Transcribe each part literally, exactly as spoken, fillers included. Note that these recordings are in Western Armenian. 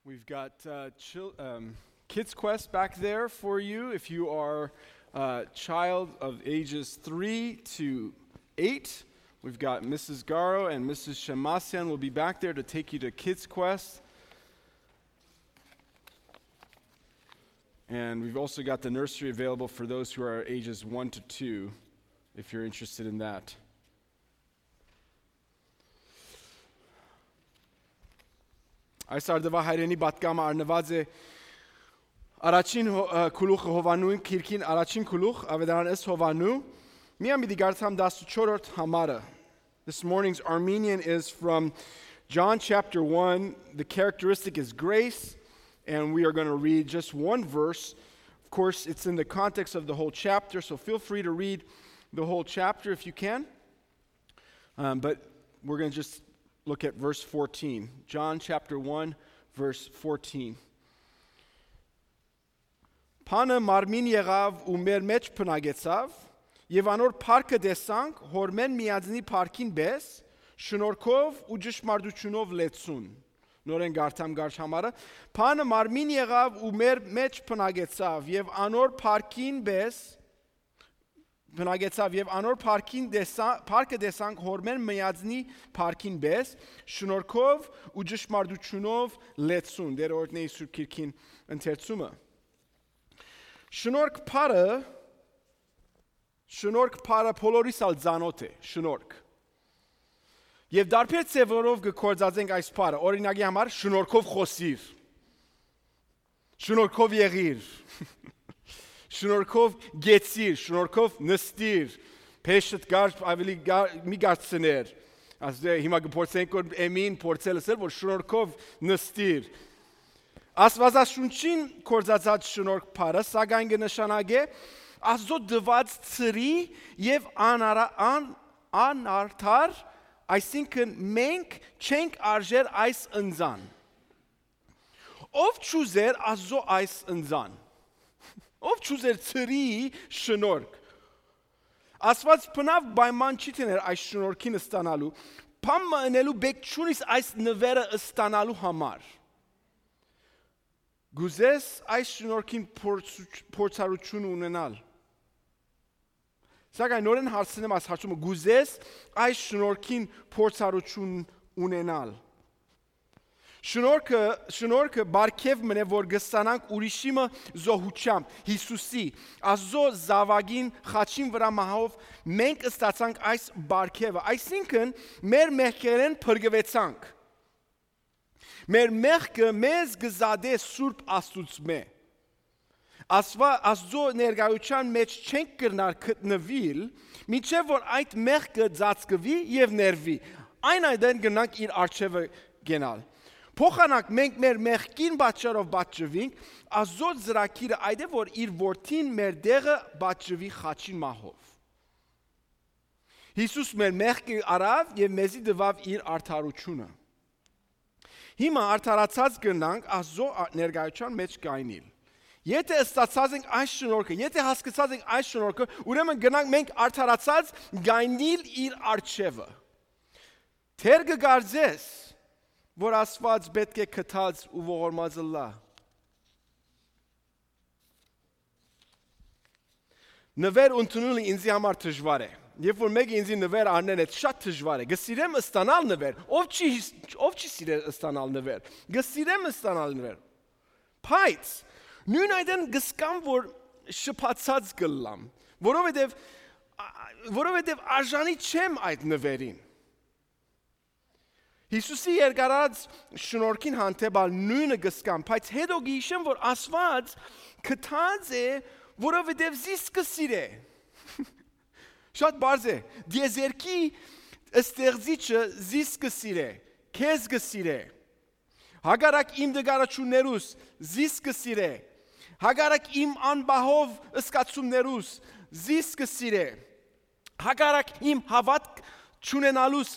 We've got uh, chil- um, Kids Quest back there for you if you are a child of ages three to eight. We've got Missus Garo and Missus Shemasian will be back there to take you to Kids Quest. And we've also got the nursery available for those who are ages one to two, if you're interested in that. Այս արդուածը հայերէնի պատգամը առնուած է առաջին հո- ը, գլուխը Յովհաննու, քիրքին առաջին գլուխ, Աւետարան ըստ Յովհաննու, միան պիտի կարդամ տասնչորրորդ համարը. This morning's Armenian is from John chapter one. The characteristic is grace, and we are going to read just one verse. Of course, it's in the context of the whole chapter, so feel free to read the whole chapter if you can. Um, but we're going to just look at verse fourteen. John chapter one, verse fourteen. Բանը մարմին եղաւ ու մեր մէջ բնակեցաւ, եւ անոր փառքը տեսանք, հորմէն միածնի փառքին պէս, շնորհքով ու ճշմարտութիւնով լեցուն։ Նորէն կարդամ կարճ համարը. Բանը մարմին եղաւ ու մեր մէջ բնակեցաւ, եւ անոր փառքին պէս, բնակեցաւ, եւ անոր փառքին տեսա- փառքը տեսանք, հորմէն միածնի փառքին պէս, շնորհքով ու ճշմարտութիւնով լեցուն։ Դեր օրհնէ Սուրբ Քիրքին ընթերցումը։ Շնորհք բառը, շնորհք բառը բոլորիս ալ ծանօթ է, շնորհք։ Եւ տարբեր ձեւերով կը գործածենք այս բառը։ Օրինակի համար, շնորհքով խօսիր, շնորհքով եղիր, շնորհքով գեցիր, շնորհքով նստիր, փեշտ կար ավելի կա- մի կարծներ։ Ասե հիմա կփորձենք որ Էմին փորձել ասել որ շնորհքով նստիր։ Աստվածաշունչին կորզածած շնորհք բառը, սակայն կը նշանակէ Աստծո տված ծրի եւ անարա- ան- անարդար, այսինքն մենք չենք արժեր այս ընծան։ Ով չուզեր Աստծո այս ընծան։ Ով չուզեր ծրի շնորհք։ Աստված բնավ պայման չի դներ այս շնորհքին ստանալու, բան մը ընելու բեք չունիս այս նվերը ստանալու համար։ Գուզես այս շնորհքին փորձ- փորձառություն ունենալ։ Սակայն նորեն հարցնեմ այս հարցումը, գուզես այս շնորհքին փորձառություն ունենալ։ Շնորհքը, շնորհքը բարգեւ մնե որ գստանանք ուրիշի մը զոհությամբ, Հիսուսի, Աստծո զաւակին խաչին վրա մահով մենք ստացանք այս բարգեւը, այսինքն մեր մեղքերեն փրկուեցանք։ Մեր մեղքը մեզ կը զատէ Սուրբ Աստուծմէ։ Աստուա- Աստուծոյ ներկայութեան մէջ չենք կրնար գտնուիլ, մինչեւ որ այդ մեղքը ծածկուի եւ ներուի։ Այն այդեն կրնանք իր առջեւը գնալ։ Փոխանակ մենք մեր մեղքին պատճառով պատժուինք, Աստուծոյ ծրագիրը այդ է, որ իր որդին մեր դեղը պատժուի խաչին մահով։ Հիսուս մեր մեղքը առաւ եւ մեզի տուաւ իր արդարությունը։ Հիմա արդարացած կրնանք Աստուծոյ ա- ներկայութեան մէջ գայնիլ։ Եթե ստացած ենք այս շնորհքը, եթե հասկացած ենք այս շնորհքը, ուրեմն կրնանք մենք արդարացած գայնիլ իր առջեւը։ Թեր կը կարծես, որ Աստուած պէտք է գթած ու ողորմած ըլլայ։ Նվեր ընդունելը ինձի համար դժուար է։ Երբ որ մեկը ինձի նվեր առնեն, այդ շատ դժուար է։ Կը սիրեմ ստանալ նվեր։ Ով չի, ով չի սիրեր ստանալ նվեր։ Կը սիրեմ ստանալ նվեր։ Բայց նույն այդեն կսկամ, որ շփացած կլլամ, որովհետև, ա- որովհետև արժանի չեմ այդ նվերին։ Հիսուսի երկարած շնորհքին հանդեպ ալ նույնը կսկամ, բայց հետո կհիշեմ, որ Աստված գթած է, որովհետև զիս կսիրե։ Շատ բարձ է։ Դիեզերքի ստեղծիչը զիս կսիրե, քեզ կսիրե։ Հակառակ իմ դգարաչուններուս զիս կսիրե։ Հակառակ իմ անբահով սկացումներուս զիս կսիրե։ Հակառակ իմ հաւատք չունենալուս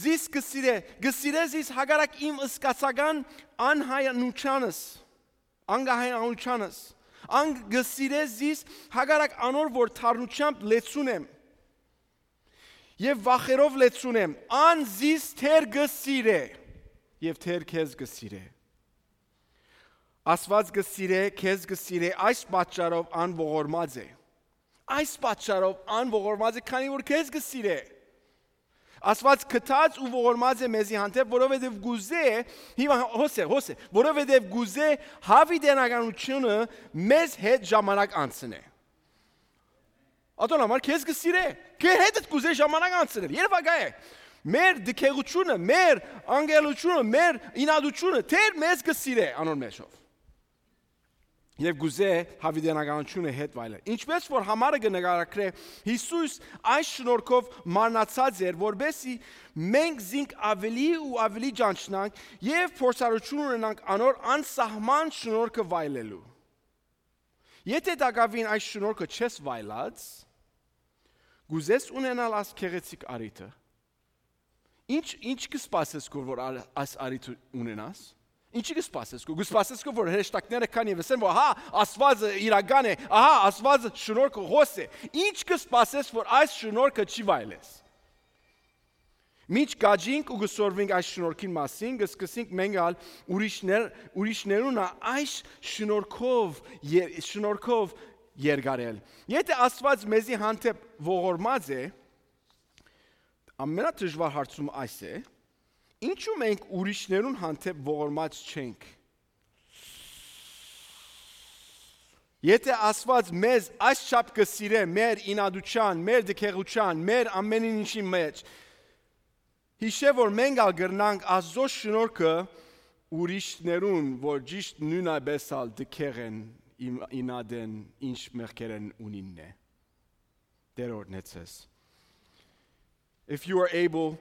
զիս կսիրե, կսիրե զիս հակառակ իմ սկացական անհայանությանս, անկահայանությանս։ Ան կսիրե զիս հակառակ անոր, որ թարնությամբ լեցուն եմ եւ վախերով լեցուն եմ։ Ան զիս թեր կսիրե եւ թեր քեզ կսիրե։ Աստուած կը սիրէ, քեզ կը սիրէ, այս պատճառով ան ողորմած է։ Այս պատճառով ան ողորմած է, քանի որ քեզ կը սիրէ։ Աստուած գթած ու ողորմած է մեզի հանդէպ, որովհետեւ կուզէ, հիմա հոս է, հոս է, որովհետեւ կուզէ յաւիտենականութիւնը մեզ հետ ժամանակ անցնէ։ Ատոն համար քեզ կը սիրէ, քեզ հետ կուզէ ժամանակ անցնել, երբակայ է։ Մեր դքեգութիւնը, մեր անգելութիւնը, մեր ինատութիւնը, Տէր մեզ կը սիրէ անոր մեջով։ Եւ կուզէ յաւիտենականութիւնը հետ վայելել։ Ինչպէս որ համարը կը նկարագրէ, Յիսուս այս շնորհքով մարմնացած էր, որպեսզի մենք զինք աւելի ու աւելի ճանչնանք եւ փորձառութիւն ունենանք անոր անսահման շնորհքը վայելելու։ Եթէ տակաւին այս շնորհքը չես վայելած, կուզես ունենալ այս գեղեցիկ առիթը։ Ինչ, ինչ կը սպասես քո, որ ա-, այս առիթը ունենաս։ Ինչի կը սպասես քո, կը սպասես քո, որ հրեշտակները կան եւ ասեն, որ հա, Աստուածը իրական է, ահա, Աստուածը շնորհքը հոս է։ Ինչ կը սպասես, որ այս շնորհքը չի վայելես։ Մինչ կաճինք ու կը սորվինք այս շնորհքին մասին, կը սկսենք մենք ալ ուրիշներ, ուրիշներուն ա այս շնորհքով ե-, շնորհքով երկարել։ Եթէ Աստուած մեզի հանդէպ ողորմած է, ամենադժուար հարցում այս է, ինչու մենք ուրիշներուն հանդէպ ողորմած չենք։ Եթէ Աստուած մեզ այս չափ կը սիրէ, մեր ինատութեան, մեր դքեգութեան, մեր ամեն ինչի մեջ, յիշէ որ մենք ալ կրնանք Աստուծոյ շնորհքը ուրիշներուն, որ ճիշտ նոյնապէս ալ դքեղ են, իմ-, ինատ են, ինչ մեղքեր են ունին է։ Տէր օրհնեցես։ If you are able,